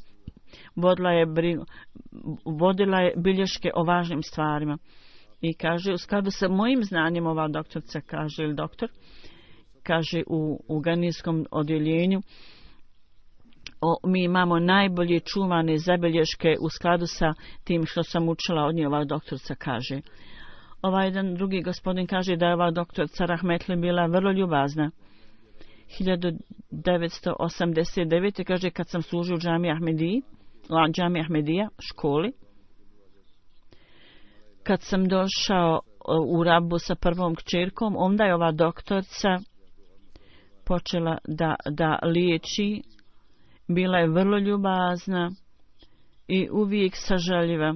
Vodila je bilješke o važnim stvarima. I kaže, u skladu sa mojim znanjem, ova doktorca kaže, ili doktor, kaže u ganijskom odjeljenju, mi imamo najbolje čuvane zabilješke u skladu sa tim što sam učila od nje, ova doktorca kaže. Ovaj jedan drugi gospodin kaže da je ova doktorca Rahmetli bila vrlo ljubazna. 1989. kaže, kad sam služio u džami Ahmedija, školi, kad sam došao u Rabu sa prvom kćerkom, onda je ova doktorca počela da liječi. Bila je vrlo ljubazna i uvijek sažaljiva.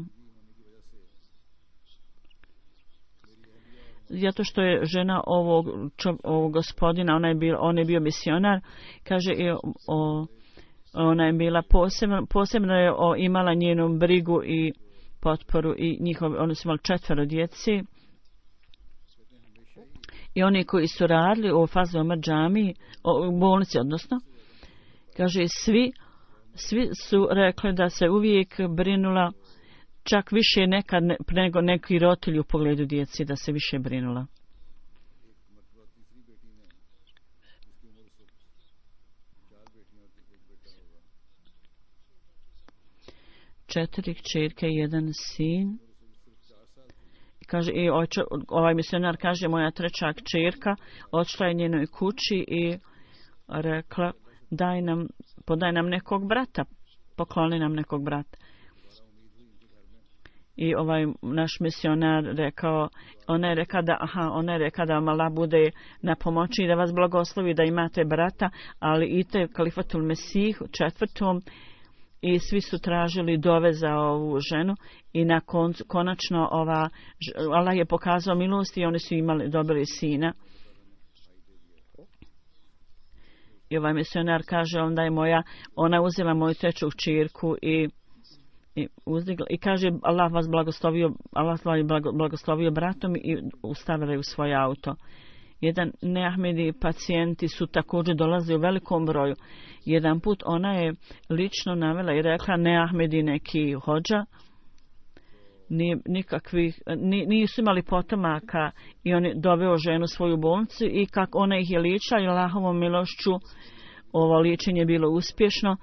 Zato što je žena ovog gospodina, on je bio misionar, kaže, ona je bila posebno je imala njenu brigu i potporu i oni su imali 4 djeci. I oni koji su radili u Fazl Omer džamiji, u bolnici odnosno, kaže, svi su rekli da se uvijek brinula, čak više nekad nego neki roditelji u pogledu djeci, da se više brinula. Četiri kćerke i 1 sin. Kaže, i ovaj misionar kaže, moja 3. kćerka odšla je njenoj kući i rekla, podaj nam nekog brata, pokloni nam nekog brata. I ovaj naš misionar rekao, ona je rekla da vam Allah bude na pomoći i da vas blagoslovi da imate brata, ali ite Kalifatul Mesih 4. i svi su tražili dove za ovu ženu i na konačno Allah je pokazao milost i oni su dobili sina. I ovaj misionar kaže, onda je ona uzela moju 3. kćerku i kaže, Allah vas blagoslovio bratom i ustavila je u svoj auto. Jedan neahmedi pacijenti su također dolazili u velikom broju. Jedan put ona je lično navela i rekla, neahmedi neki hođa, nisu imali potomaka i on je doveo ženu u svoju bolnicu i kako ona ih je liječila i Allahovom milošću ovo liječenje je bilo uspješno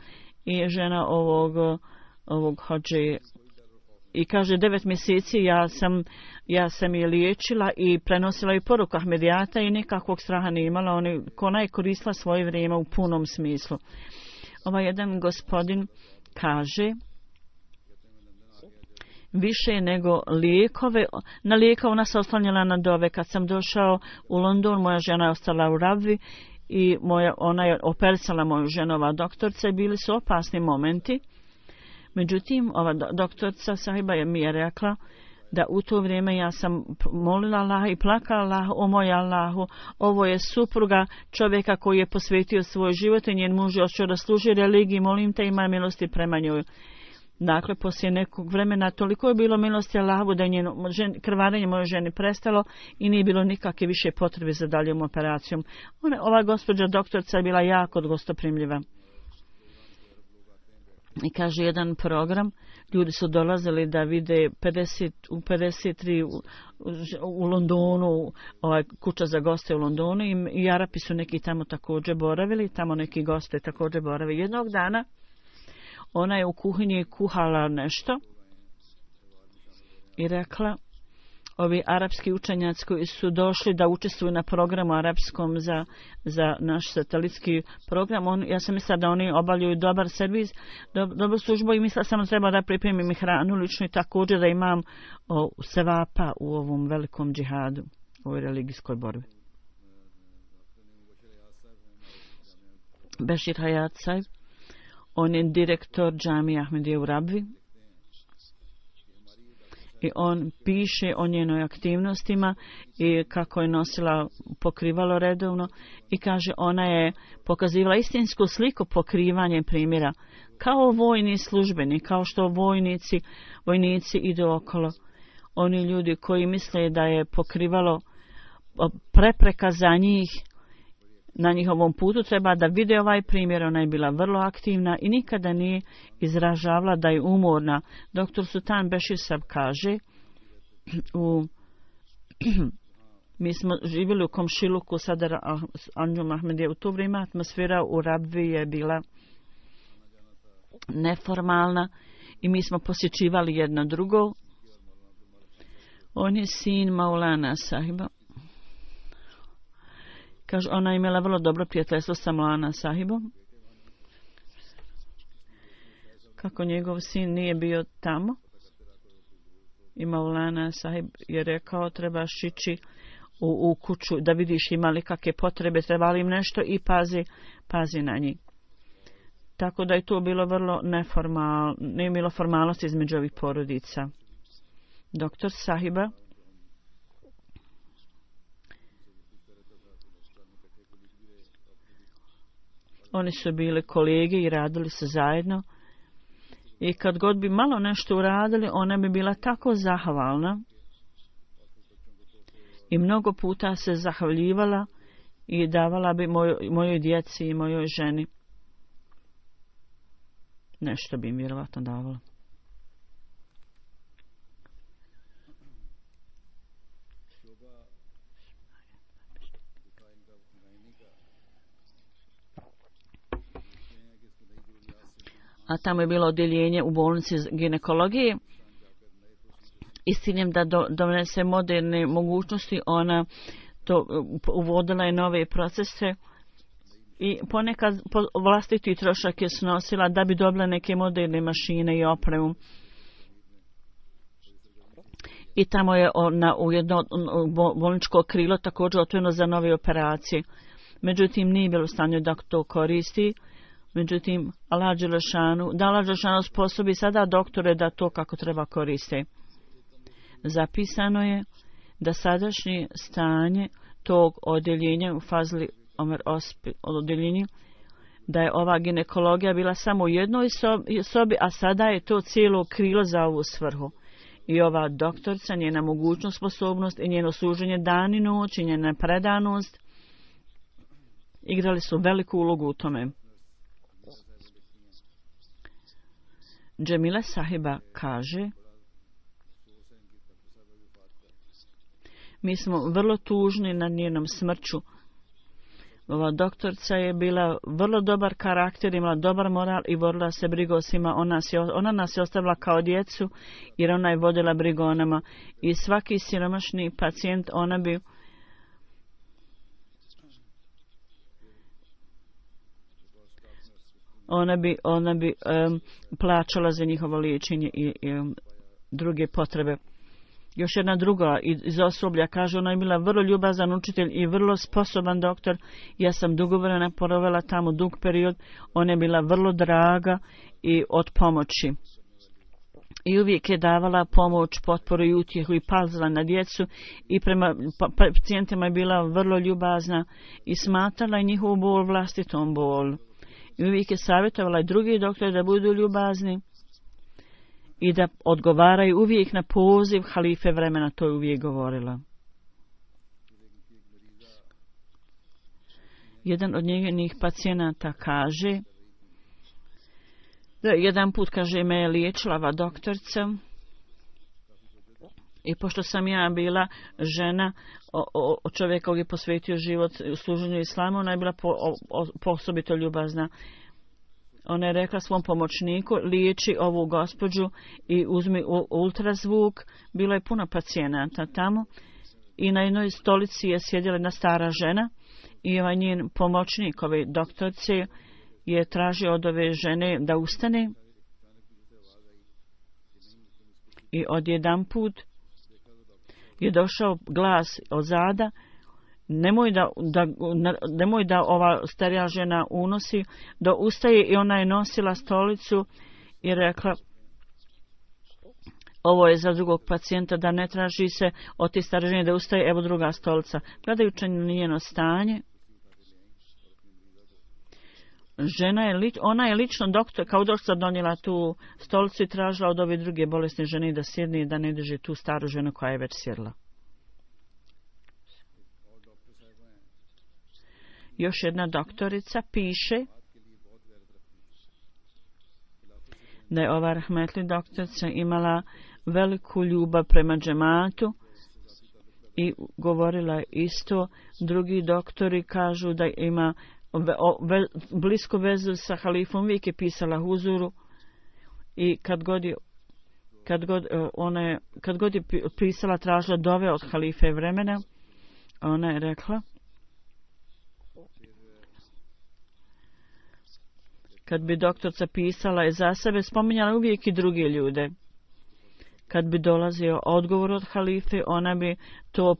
i žena ovog hođe i kaže 9 mjeseci ja sam je liječila i prenosila je poruku Ahmedijata i nikakvog straha nije imala. Ona je koristila svoje vrijeme u punom smislu. Ovaj jedan gospodin kaže, više nego lijekove, na lijeka ona se oslanjala na dove. Kad sam došao u London, moja žena je ostala u Rabvi i ona je operisala moju ženu, ova doktorca, i bili su opasni momenti. Međutim, ova doktorca sahiba mi je rekla da u to vrijeme ja sam molila Allaha i plakala Allaha, o moj Allahu, ovo je supruga čovjeka koji je posvetio svoj život i njen muž je odšao da služi religiji, molim te imaj milosti prema njoj. Dakle, poslije nekog vremena toliko je bilo milosti Allahu da je njeno krvarenje moje ženi prestalo i nije bilo nikakve više potrebe za daljom operacijom. Ova gospođa doktorica je bila jako gostoprimljiva. I kaže jedan program, ljudi su dolazili da vide 53 u Londonu, kuća za goste u Londonu i Arapi su neki tamo također boravili, tamo neki goste također boravili. Jednog dana ona je u kuhinji kuhala nešto i rekla, ovi arapski učenjaci koji su došli da učestvuju na programu arapskom za naš satelitski program, ja sam mislila da oni obavljaju dobar servis, dobru službu i mislila sam da treba da pripremim i hranu lično i također da imam sevapa u ovom velikom džihadu, u ovoj religijskoj borbi. Bešir Hayat Saib, on je direktor džamije Ahmedije u Rabvi i on piše o njenoj aktivnostima i kako je nosila pokrivalo redovno i kaže ona je pokazivala istinsku sliku pokrivanja primjera kao vojni službeni, kao što vojnici idu okolo. Oni ljudi koji misle da je pokrivalo prepreka za njih na njihovom putu, treba da vide ovaj primjer. Ona je bila vrlo aktivna i nikada nije izražavala da je umorna. Doktor Sultan Bešir Saib kaže, mi smo živjeli u komšiluku Sadar Anjum Ahmedije. U to vrijeme atmosfera u Rabvi je bila neformalna i mi smo posjećivali jedno drugo. On je sin Maulana Sahiba. Kaže, ona je imala vrlo dobro prijateljstvo sa Maulana Sahibom. Kako njegov sin nije bio tamo. I Maulana Sahib je rekao, trebaš ići u kuću da vidiš ima li kakve potrebe, treba li im nešto i pazi na njih. Tako da je to bilo vrlo neformalno, nije bilo formalnosti između ovih porodica. Doktor Sahiba oni su bili kolege i radili se zajedno. I kad god bi malo nešto uradili, ona bi bila tako zahvalna. I mnogo puta se zahvaljivala i davala bi mojoj djeci i mojoj ženi. Nešto bi im vjerovatno davala. A tamo je bilo odjeljenje u bolnici ginekologije i s ciljem da donese moderne mogućnosti, ona to uvodila je nove procese i ponekad vlastiti trošak je snosila da bi dobila neke moderne mašine i opremu. I tamo je u jedno bolničko krilo također otvoreno za nove operacije. Međutim, nije bilo u stanju da to koristi. Međutim, Allah Đelešanu sposobi sada doktore da to kako treba koriste. Zapisano je da sadašnje stanje tog odjeljenja u Fazli Omer odjeljenju, da je ova ginekologija bila samo u jednoj sobi, a sada je to cijelo krilo za ovu svrhu. I ova doktorca, njena mogućnost, sposobnost i njeno služenje dan i noć i njena predanost igrali su veliku ulogu u tome. Džemila Sahiba kaže, mi smo vrlo tužni nad njenom smrću. Ova doktorca je bila vrlo dobar karakter, imala dobar moral i vodila se brigu o svima. Ona nas je ostavila kao djecu jer ona je vodila brigu o nama. I svaki siromašni pacijent ona bi plaćala za njihovo liječenje i druge potrebe. Još jedna druga iz osoblja kaže, ona je bila vrlo ljubazan učitelj i vrlo sposoban doktor. Ja sam dugo vremena provela tamo dug period. Ona je bila vrlo draga i od pomoći. i uvijek je davala pomoć, potporu i utjehu i pazila na djecu i prema pacijentima je bila vrlo ljubazna i smatrala njihovu bol vlastitom bol. I uvijek je savjetovala i drugi doktori da budu ljubazni i da odgovaraju uvijek na poziv halife vremena, to je uvijek govorila. Jedan od njenih pacijenata kaže da jedan put, kaže, me je liječila ova doktorica i pošto sam ja bila žena o čovjeka koji je posvetio život u služenju islamu, ona je bila osobito ljubazna. Ona je rekla svom pomoćniku, liječi ovu gospođu i uzmi ultrazvuk. Bilo je puno pacijenata tamo i na jednoj stolici je sjedila jedna stara žena i ovaj njen pomoćnik, ove doktorice, je tražio od ove žene da ustane i odjedanput je došao glas od zada, nemoj da ova starija žena unosi, da ustaje, i ona je nosila stolicu i rekla, ovo je za drugog pacijenta, da ne traži se od te stare žene da ustaje, evo druga stolica. Gledajući na njeno stanje, ona je lično kao doktor donijela tu stolicu i tražila od ove druge bolesne žene da sjedne i da ne drži tu staru ženu koja je već sjedla. Još jedna doktorica piše da je ova rahmetli doktorica imala veliku ljubav prema džematu i govorila isto. Drugi doktori kažu da ima blisku vezu sa halifom, uvijek je pisala huzuru i kad god je pisala, tražila dove od halife vremena, ona je rekla, kad bi doktorca pisala je za sebe, spominjala uvijek i druge ljude. Kad bi dolazio odgovor od halife, ona bi to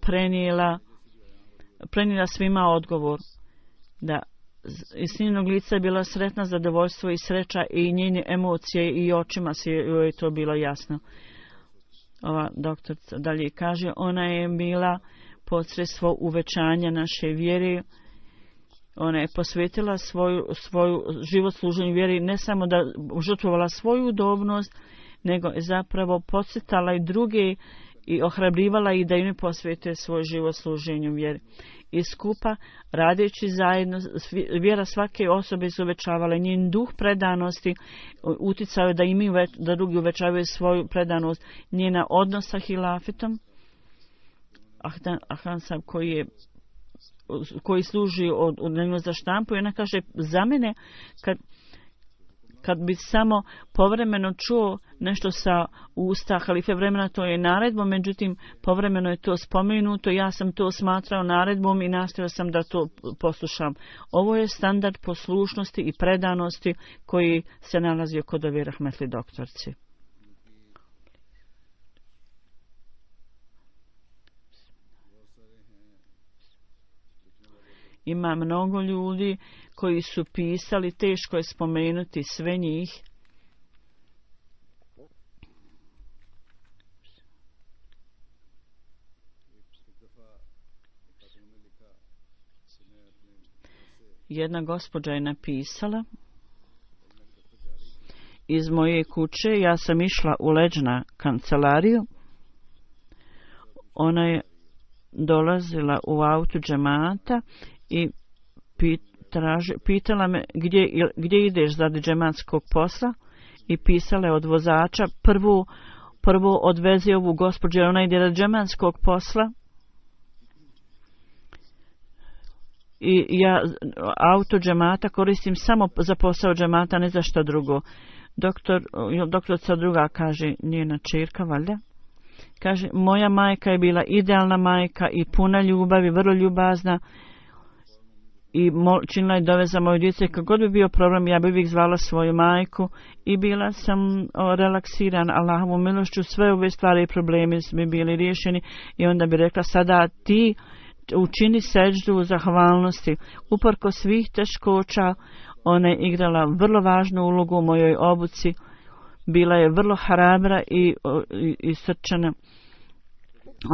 prenijela svima odgovor. Da iz njenog lica je bila sretna, zadovoljstvo i sreća i njene emocije i očima se joj to bilo jasno. Ova doktorica dalje kaže, ona je bila posredstvo uvećanja naše vjere. Ona je posvetila svoju život služenju vjeri, ne samo da žrtvovala svoju udobnost, nego je zapravo podsjetala i druge i ohrabrivala ih da im ne posvete svoj život služenju vjeri. I skupa, radeći zajedno, vjera svake osobe su uvećavala, njen duh predanosti uticao je da drugi uvećavaju svoju predanost, njena odnos sa hilafetom, Ahsan Sahib koji služi od njega za štampu, i ona kaže, za mene kad bi samo povremeno čuo nešto sa usta halife vremena, to je naredbom, međutim povremeno je to spomenuto, ja sam to smatrao naredbom i nastojao sam da to poslušam. Ovo je standard poslušnosti i predanosti koji se nalazio kod ove rahmetli doktorci. Ima mnogo ljudi koji su pisali, teško je spomenuti sve njih. Jedna gospođa je napisala, iz moje kuće ja sam išla u leđna kancelariju. Ona je dolazila u autu džemata i pitala me gdje ideš radi džematskog posla, i pisala je od vozača, prvo odvezi ovu gospođu jer ona ide radi džematskog posla, i ja auto džemata koristim samo za posao džemata, ne za što drugo. Doktorica druga kaže, njena čerka valjda, kaže, moja majka je bila idealna majka i puna ljubavi, vrlo ljubazna, i činila je dove za moju djecu. Kad god bi bio problem, ja bi uvijek zvala svoju majku i bila sam relaksiran Allahovom milošću. Sve ove stvari i problemi bi bili riješeni i onda bi rekla, sada ti učini seđdu zahvalnosti. Uporko svih teškoća, ona je igrala vrlo važnu ulogu u mojoj obuci. bila je vrlo hrabra i srčana.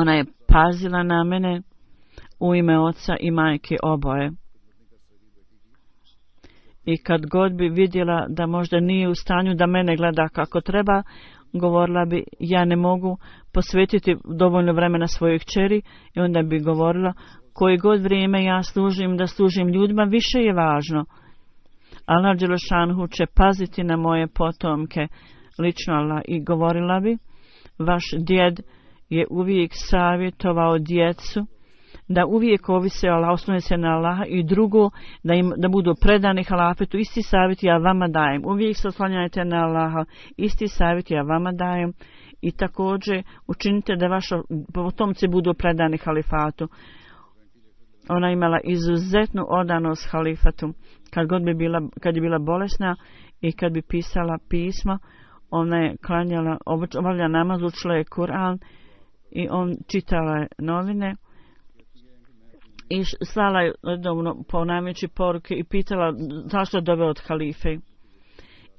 Ona je pazila na mene u ime oca i majke oboje. I kad god bi vidjela da možda nije u stanju da mene gleda kako treba, govorila bi ja ne mogu posvetiti dovoljno vremena svojoj kćeri i onda bi govorila koji god vrijeme ja služim, da služim ljudima, više je važno. Allah dželešanhu će paziti na moje potomke, lično Allah, i govorila bi vaš djed je uvijek savjetovao djecu da uvijek ovise o Allah, oslone se na Allaha, i drugo da budu predani halafetu. Isti savjet ja vama dajem. Uvijek se oslanjajte na Allaha. Isti savjet ja vama dajem. I također učinite da vaši potomci budu predani halifatu. Ona imala izuzetnu odanost halifatu. Kad je bila bolesna i kad bi pisala pisma, ona je klanjala, obavlja namaz, učila je Kur'an i on čitala je novine i slala je redovno ponavljajući poruke i pitala zašto je doveo od halife.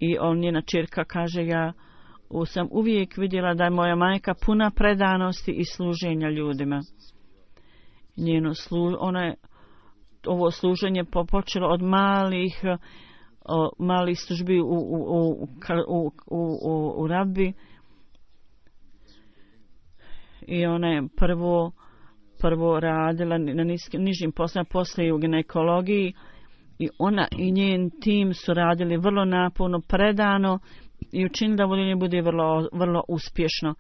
I njena ćerka kaže, ja sam uvijek vidjela da je moja majka puna predanosti i služenja ljudima. Ona je ovo služenje počelo od malih službi u rabbi, i ona je prvo radila na nižim poslovima, poslije u ginekologiji, i ona i njen tim su radili vrlo naporno, predano i učinili da voljenje bude vrlo uspješno.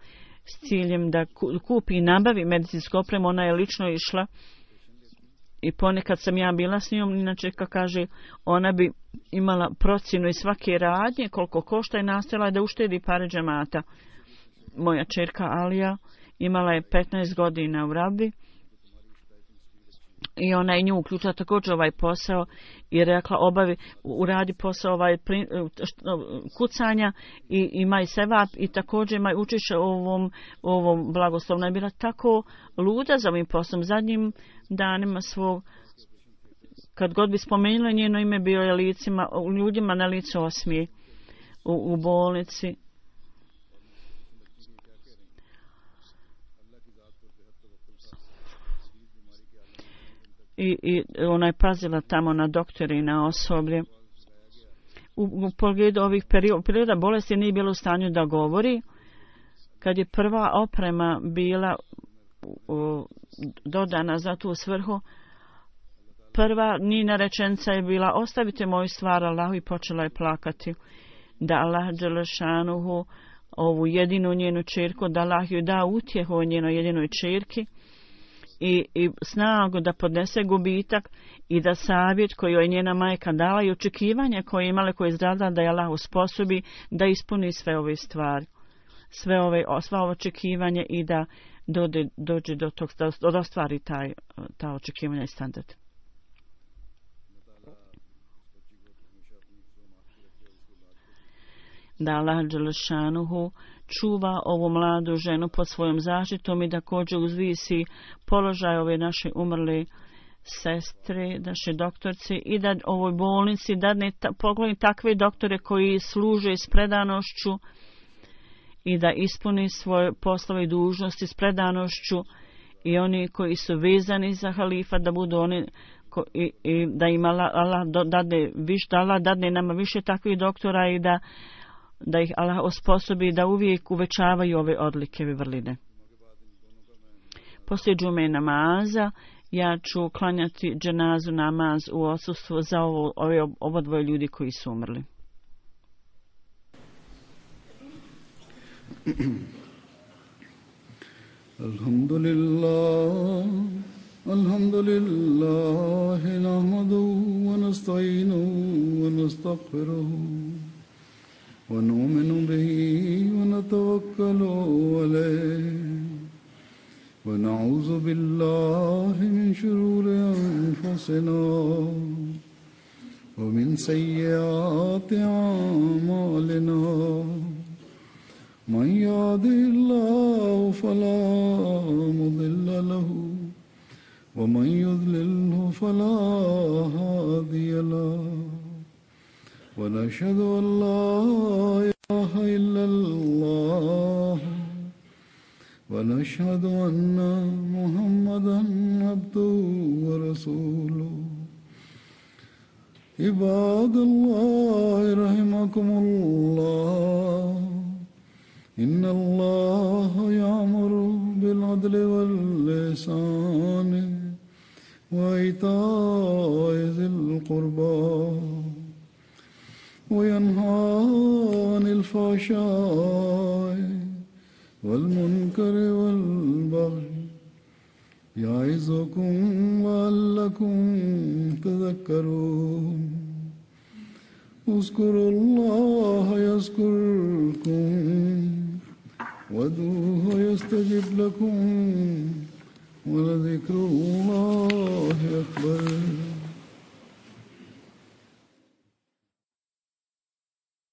S ciljem da kupi i nabavi medicinsku opremu, ona je lično išla i ponekad sam ja bila s njom, inače kako kaže, ona bi imala procjenu i svake radnje koliko košta i nastojala da uštedi pare džemata. Moja ćerka Alija imala je 15 godina u rabbi i ona je nju uključila također ovaj posao i rekla uradi posao kucanja i imaj sevap i također imaj učešće u ovom blagoslovu. Ona je bila tako luda za ovim poslom. Zadnjim danima svog, kad god bi spomenula njeno ime, bio je ljudima na licu osmije u bolnici. I ona je pazila tamo na doktore i na osoblje. U pogledu ovih perioda bolesti nije bilo u stanju da govori. Kad je prva oprema bila dodana za tu svrhu, prva njena rečenica je bila ostavite moju stvar Allahu, i počela je plakati. Da Allah dželešanuhu ovu jedinu njenu ćerku, da Allah ju da utjehu o njenoj jedinoj ćerki i snagu da podnese gubitak i da savjet koji je njena majka dala i očekivanje koje je imala, koje je izradila, da je Allah usposobi da ispuni sve ove stvari, sva očekivanje i da dođe do tog, da ostvari ta očekivanja i standard. Da Allah dželešanuhu čuva ovu mladu ženu pod svojom zaštitom i da također uzvisi položaj ove naše umrle sestre, naše doktorce, i da ovoj bolnici dadne pogledi takve doktore koji služe s predanošću i da ispuni svoje poslove i dužnosti s predanošću, i oni koji su vezani za halifa da budu oni i da im Allah dadne nama više takvih doktora i da ih Allah osposobi da uvijek uvećavaju ove odlike i vrline. Poslije džume namaza ja ću klanjati dženazu namaz u odsustvu za ovo dvoje ljudi koji su umrli. Alhamdulillah, nahmaduhu wa nasta'inuhu wa nastaghfiruhu ونؤمن به ونتوكل عليه ونعوذ بالله من شرور أنفسنا ومن سيئات أعمالنا من يهده الله فلا مضل له ومن يضلله فلا هادي له ونشهد أن لا إله إله إلا الله ونشهد أن محمدا عبده ورسوله عباد الله رحمكم الله إن الله يأمر بالعدل والإحسان وإيتاء ذي القربى وينهى عن الفحشاء والمنكر والبغي يعظكم لعلكم تذكرون اذكروا الله يذكركم وادعوه يستجب لكم ولذكر الله أكبر